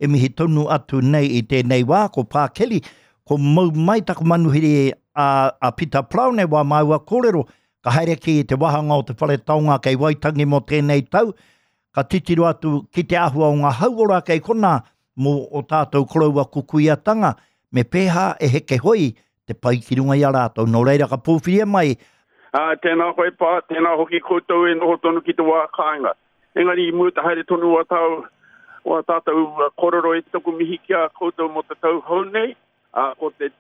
e mihi tonu atu nei i tēnei wā, ko Pā Kelly, ko mau mai taku manuhiri a, a Pita Paraone wā māua kōrero, ka haere ki te wāhanga o te whare taonga kei Waitangi mō tēnei tau, ka titiro atu ki te āhua o ngā hauora kei konā mō o tātou koroua kukuiatanga, me pēhā e heke hoi te pai ki runga i a rātou. Nō reira ka pōwhiria mai. Ā, tēnā koe Pā, tēnā hoki koutou e noho tonu ki te wā kāinga. Engari i mua te haere tonu o tāu, o tātou kōrero e taku mihi ki a koutou mō te tau hou nei, ā, ko te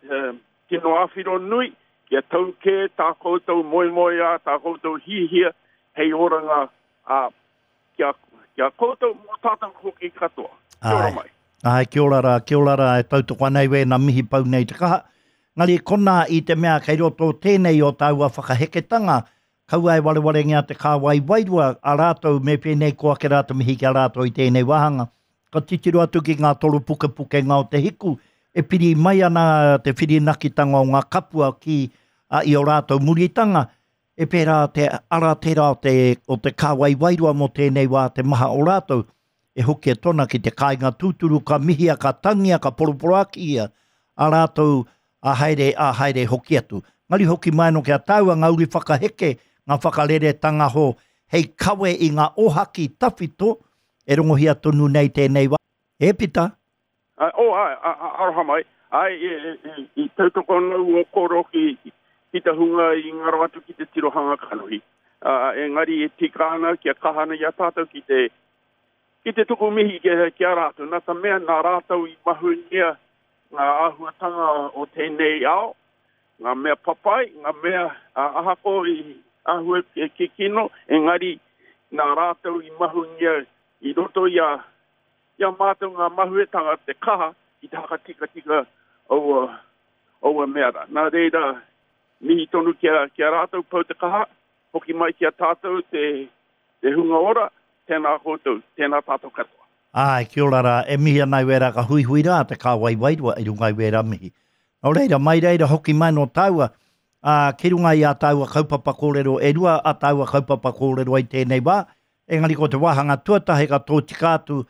tino āwhiro nui, kia tau kē tā koutou moemoeā, tā koutou hihia hei oranga, ā, ki a, ki a koutou, mō tātou hoki katoa. Kia ora mai. Āe, kia ora rā, kia ora rā, e tautoko ana i wēnā mihi pau nei te kaha. Engari konā i te mea kei roto tēnei o tāua whakaheketanga, kaua e warewarengia te kāwai wairua a rātou me pēnei ko ake rā te mihi ki a rātou i tēnei wāhanga. Ka titiro atu ki ngā toropukepukenga o te hiku, e piri mai ana te whirinakitanga o ngā kapua ki a, i o rātou muritanga, E pērā te ara tērā o te, o te kāwai wairua mō tēnei wā te maha o rātou, e hokia tona ki te kāinga tūturu ka mihia, ka tangia, ka poroporoakihia a rātou a haere, a haere hoki atu. Ngari hoki mai anō ki a tāua ngā uri whakaheke, ngā whakareretanga ho hei kawe i ngā ohaki tawhito e rongohia tonu nei tēnei wā. E Pita! Ā, oh, āe, ā, ā, aroha mai. Āe, e, e, e, i tautoko ana au o koro ki, ki te hunga i ngaro atu ki te tirohanga kanohi. Ā, engari e tika ana kia kaha ana i a tātou ki te, ki te tuku mihi ki, ki a rātou. Nā te mea, nā rātou i mahungia ngā āhuatanga o tēnei ao, ngā mea papai, ngā mea, ā, ahako i āhua kikino, engari nā rātou i mahungia i roto i a, I a mātou ngā mahuetanga te kaha ki te hakatikatika aua, aua mea rā. Nā reira, mihi tonu ki a, ki a rātou pau te kaha, hoki mai ki a tātou te, te hunga ora, tēnā koutou, tēnā tātou katoa. Āe, kia ora rā, e mihi ana i wērā ka huihui rā te kāwai wairua i runga i wērā mihi. Nō reira, mai reira hoki mai nō tāua, ā, ki runga i ā tāua kaupapa kōrero, e rua ā tāua kaupapa kōrero ai tēnei wā, Engari ko te wāhanga tuatahi ka tōtika atu,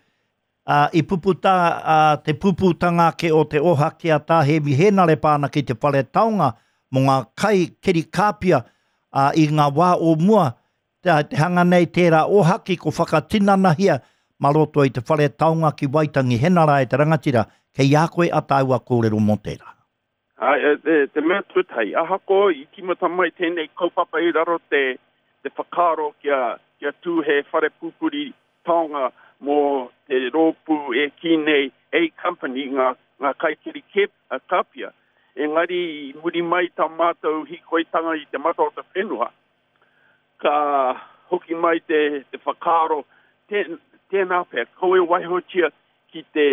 ā, i puputa ā, te pupūtanga ake o te ohaki a Tā Hēmi Hēnare pā ana ki te whare taonga mō ngā kai keri kāpia, ā, i ngā wā o mua, te, te hanga nei tērā ohaki ko whakatinanahia mā roto i te whare taonga ki Waitangi. Hena rā e te rangatira, kei a koe a tāua kōrero mō tērā. Ā, te mea tuatahi, ahakoa i tīmata mai tēnei kaupapa i raro te, te whakaaro kia, kia tū he whare pupuri taonga mō te rōpū e kī nei A Company, ngā, ngā kaikiri kē, kāpia. Engari i muri mai tā mātou hīkoitanga i te mata o te whenua, ka hoki mai te, te whakaaro, tē, tēnā pea, kaua e waihotia ki te,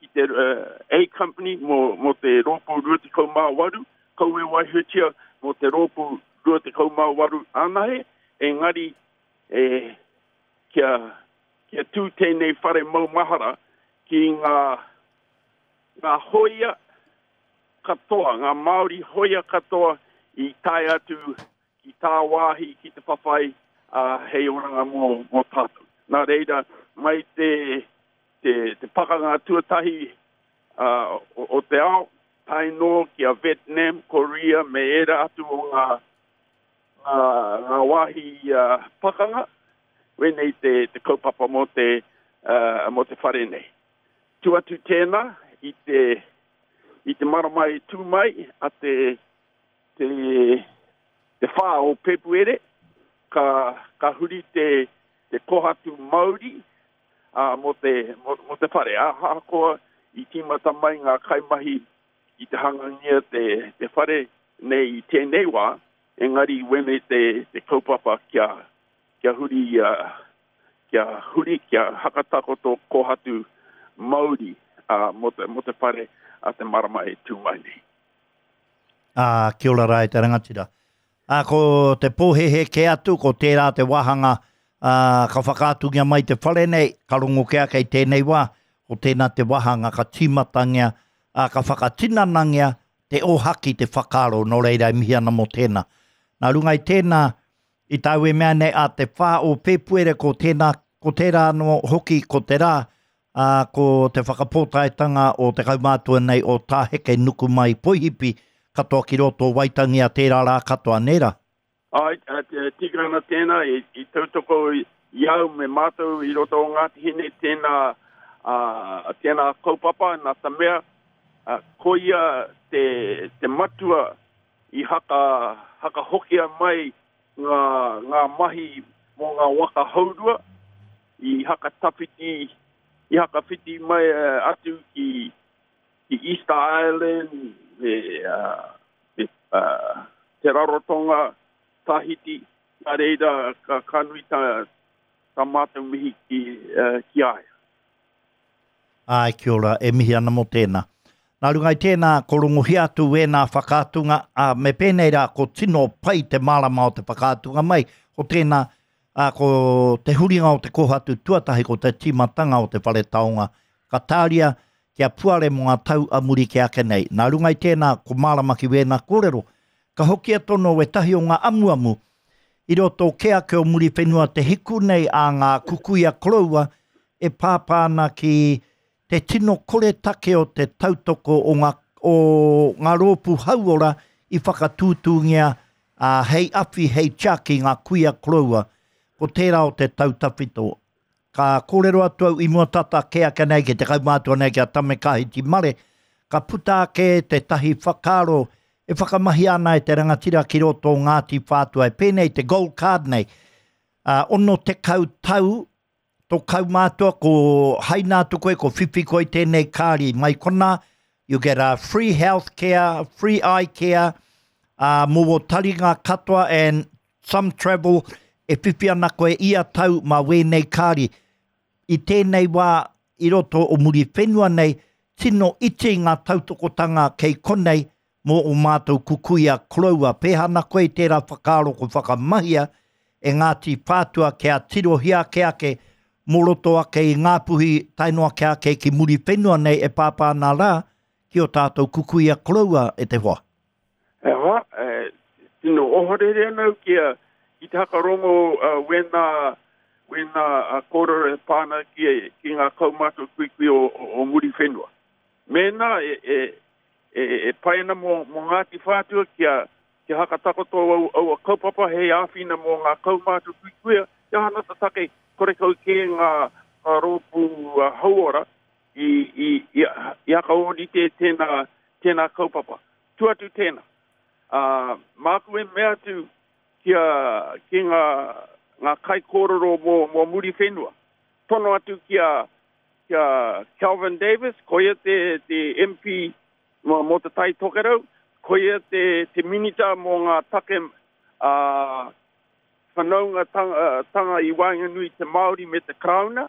ki te uh, A Company mō, mō te rōpū 28, kaua e waihotia mō te rōpū 28 anahe, engari e, kia, kia tū tēnei whare maumahara ki ngā, ngā hōia katoa, ngā Māori hōia katoa i tae atu ki tāwāhi ki te whawhai, ā, hei oranga mō, mō tātou. Nā reira, mai te, te, te pakanga tuatahi ā, o, o te ao, tae noa ki a Vietnam, Korea me ērā atu o ngā, ngā, ngā wāhi ā, pakanga, wēnei te, te kaupapa mō te, ā, mō te whare nei. Tū atu tēnā i te, i te marama e tū mai a te, te, te whā o Pepuere, ka, ka huri te, te kohatu mauri ā, mō te, mō, mō te whare. Ahakoa i tīmata mai ngā kaimahi i te hangangia te, te whare nei i tēnei wā, engari wēnei te, te kaupapa kia, kia huri, kia huri, kia hakatakoto kohatu mauri ā, mō te, mō te whare a te marama e tū mai nei. Ā, kia ora rā e te rangatira. Ā, ko te pōhēhē kē atu, ko tērā te wāhanga, ā, ka whakaatungia mai te whare nei, ka rongo kē ake i tēnei wā, ko tēnā te wāhanga ka tīmatangia, ā, ka whakatinanangia te ōhaki, te whakaaro, nō reira e mihi ana mō tēnā. Nā runga i tēnā, i tāu e mea nei, ā te whā o Pēpuere, ko tēnā, ko tērā anō hoki, ko te rā, Ā, ko te whakapōtaetanga o te kaumātua nei o Tā Heke Nukumai Poihipi, katoa ki roto o Waitangi a tērā rā katoa, nē rā? Āe, e tika ana tēnā, i tautoko i au me mātou i roto o Ngāti Hine tēnā, tēnā kaupapa, nā te mea, koia te, te matua i haka, hakahokia mai ngā, ngā mahi mō ngā waka hourua, i haka tawhiti, i haka whiti mai atu ki, ki Easter Island, me, uh, me uh, Te Rarotonga, Tahiti, nā reira ka, ka nui tā, tā mātou mihi ki, uh, ki a ia. Āe, kia ora, e mihi ana mō tēnā. Nā runga i tēnā, ko rongohia atu wēnā whakaatunga, ā, me pēnei rā, ko tino pai te mārama o te whakaatunga mai, ko tēnā, ā, ko te huringa o te kōhatu tuatahi ko te tīmatanga o te whare taonga, ka tāria kia puare mō ngā tau a muri kē ake nei. Nā runga i tēnā, ko mārama ki wēnā kōrero, ka hokia tono wētahi o ngā amuamu i roto kē ake o Muriwhenua te hiku nei a ngā kukuia koroua e pāpā ana ki te tino koretake o te tautoko o ngā, o ngā rōpū hauora i whakatūtūngia, ā, hei awhi, hei tiaki ngā kuia koroua. Ko tērā o te tau tawhito. Ka kōrero atu au i mua tata kē ake nei ki te kaumātua nei ki a Tame Kāhiti Mare, ka puta ake tētahi whakaaro e whakamahia ana e te rangatira ki roto o Ngāti Whātua e pēnei te gold card nei, ā, 60 tau tō kaumātua ko haina atu koe, ko whiwhi koe i tēnei kāri mai konā, you get a free health care, free eye care, ā, mō wō taringa katoa and some travel e whiwhi ana koe ia tau mā wēnei kāri. I tēnei wā i roto o Muriwhenua nei, tino iti ngā tautokotanga kei konei mō ō mātou kukuia koroua. Pēhā ana koe i tērā whakaaro ko whakamahia e Ngāti Whātua kia tirohia ake ake mō roto ake i Ngāpuhi tae noa kia ake ki Muriwhenua nei e pāpā ana rā ki ō tātou kukuia koroua e te hoa. E hoa, e, tino ohorere ana au ki, a, ki te hakarongo uh, wēnā, wēnā uh, kōrero e pā ana ki, ki ngā kaumātua kuikui o, o, o Muriwhenua. Mēnā e, e, e, e pai ana mō, mō Ngāti Whātua kia, kia hakatakoto au, aua kaupapa hei āwhina mō ngā kaumātua kuikuia, he aha ana te take korekau kē ngā, ngā rōpū uh, hauora i, i, i, i hakaōrite tēnā, tēnā kaupapa. Tu atu tēnā. Ā, māku e mea atu ki a, ki ngā, ngā kaikōrero mō, mō Muriwhenua. Tono atu ki a, ki a Kelvin Davis, koia te, te MP mō, mō Te Tai Tokerau, koia te, te Minita mō ngā take, ā, whanaungatanga i waenganui i te Māori me te Karauna.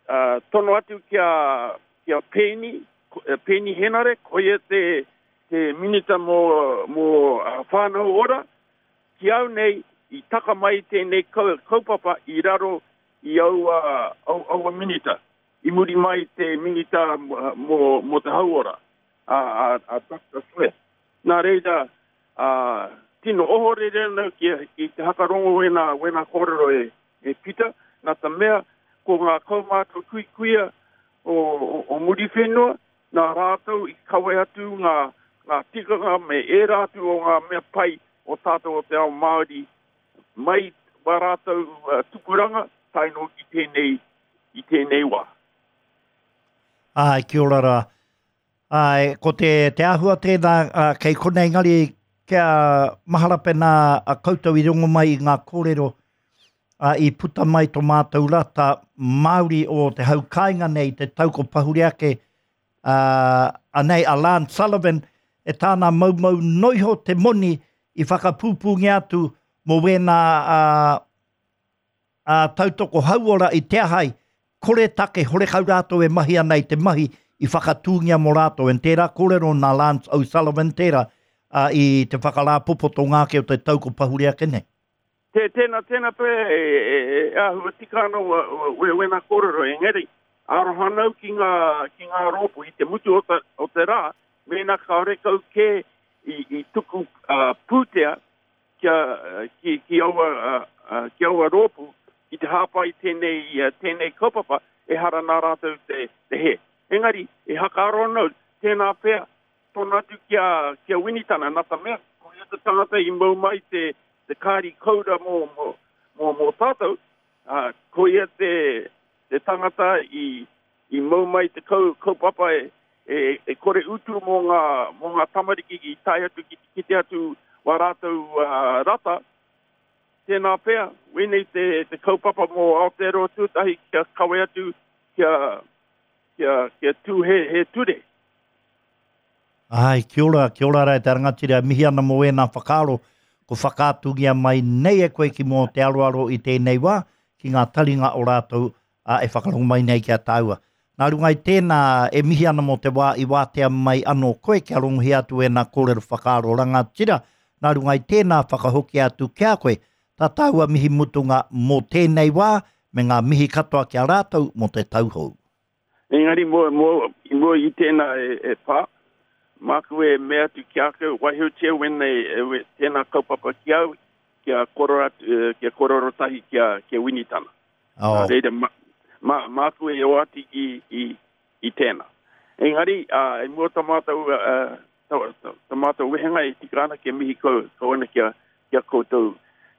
Uh, tono atu ki a, ki a Peeni, Peeni Henare, koia te, te minita mō, mō uh, Whānau Ora, ki au nei, i taka mai tēnei kaupapa i raro i aua, au, aua minita. I muri mai te minita mō, mō te hauora, a, a, a Dr. Smith. Nā reira, a, tino ohorere ana ki, ki te hakarongo wēnā, wēnā kōrero e, e Pita, nā te mea ko ngā kaumātua kuikuia o, o, o Muriwhenua, nā rātou i kawe atu ngā, ngā tikanga me ērā atu o ngā mea pai o tātou o te ao Māori mai wā rātou uh, tupuranga tae noa ki tēnei, i tēnei wā. Āe, kia ora rā. Āe, ko te, te āhua tēnā uh, kei konei engari kia mahara pēnā a koutou i rongo mai i ngā kōrero uh, i puta mai tō mātou rata Māori o te hau kāinga nei te tau ko pahure ake uh, anei a Lance Sullivan e tāna maumau noiho te moni i whakapūpūngia atu mō wēnā uh, ā, tautoko hauora i te ahai, kore take, horekau rātou e mahi ana i te mahi i whakatūngia mō rātou. And tērā kōrero nā Lance O'Sullivan tērā, ā, i te whakarāpopoto ake o te tau ko pahure ake nei. Tē, tēnā, tēnā pea e, e, e āhua tika ana wa, wa, wēnā kōrero, engari, aroha ana au ki ngā, ki ngā rōpū i te mutu o te, o te rā, mēnā kāore kau kē i, i tuku uh, pūtea kia, ki, ki aua, ki aua rōpū ki te hāpai tēnei, tēnei kaupapa. ehara nā rātou te, te hē. Engari, e hakaaro ana au, tēnā pea, tono atu ki a, ki a Winitana, nā te mea, ko ia te tangata i mau mai te, te kāri koura mō, mō, mō, mō tātou, ā, ko ia te, te tangata i, i mau mai te kau, kaupapa e, e, e kore utu mō ngā, mō ngā tamariki i tae atu ki te kite atu wā rātou uh, rata, tēnā pea, wēnei te, te kaupapa mō Aotearoa Tuatahi kia kawe atu, kia, kia, kia tū he, he ture. Āe, kia ora, kia ora rā e te rangatira, e mihi ana mō ēnā whakaaro ko whakaatungia mai nei e koe ki mō te aroaro i tēnei wā, ki ngā taringa o rātou ā, e whakarongo mai nei ki a tāua. Nā runga i tēnā, e mihi ana mō te wā i wātea mai anō koe kia rongohia atu ēnā kōrero whakaaro rangatira, nā runga i tēnā whakahokia atu ki a koe tā tāua mihi mutunga mō tēnei wā me ngā mihi katoa ki a rātou mō te tau hou. Engari mō, mō, i mua i tēnā e, e pā, māku e mea atu ki a koe, waihotia wēnei, e, we, tēnā kaupapa ki au, kia kōrero atu, e, kia kōrero tahi ki a, ki a Winitana. Oh. Nā reira, ma, ma, māku e oati i, i, i tēnā. Engari, ā, i mua tā mātou, ā, tā, tā, tā mātou wehenga e tika ana kia mihi kau, kau ana ki a, ki a koutou.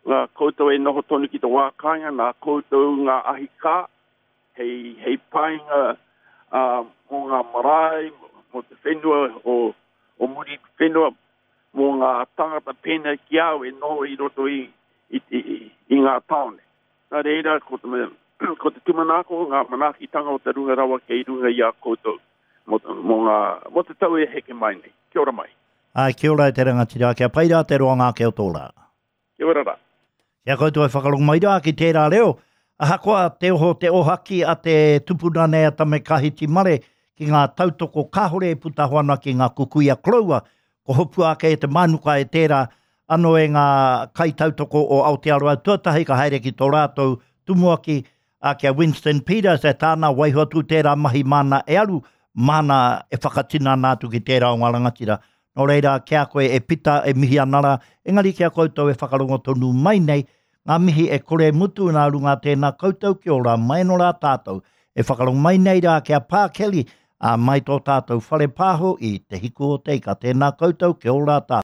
Ngā koutou e noho tonu ki te wā kāinga, nā koutou ngā ahi kā, hei, hei painga uh, mō ngā marae, mō te whenua o, o Muriwhenua, mō ngā tangata pēnei ki au e noho i roto i, i, i, i ngā tāone. Nā reira, ko te, ko te tūmanako, ngā manaakitanga o te runga rawa kei runga i a koutou mō, mō, ngā, mō te tau e heke mai nei. Kia ora mai. Āe, kia ora e te rangatira, kia pai rā te roanga ake o tō rā. Kia ora rā. Ki a koutou e whakarongo mai rā ki tērā reo, ahakoa te oho te ohaki a te tupuna nei a Tame Kahiti Mare ki ngā tautoko kāore e puta ana ki ngā kukuia koroua, ko hopua ake e te mānuka e tērā anō e ngā kaitautoko o Aotearoa tuatahi ka haere ki tō rātou tumuaki ā, ki a Winston Peters e tāna waiho atu tērā mahi māna e aru, māna e whakatinana atu ki tērā o ngā rangatira. Nō reira, ki a koe e Pita, e mihi ana rā, engari ki a koutou e whakarongo tonu mai nei, ngā mihi e kore e mutu nā runga tēnā koutou ki ora mai anō rā tātou. E whakarongo mai nei rā ki a Pā Kelly, ā, mai tō tātou whare pāho i Te Hiku o Te Ika. Tēnā koutou, kia ora tātou.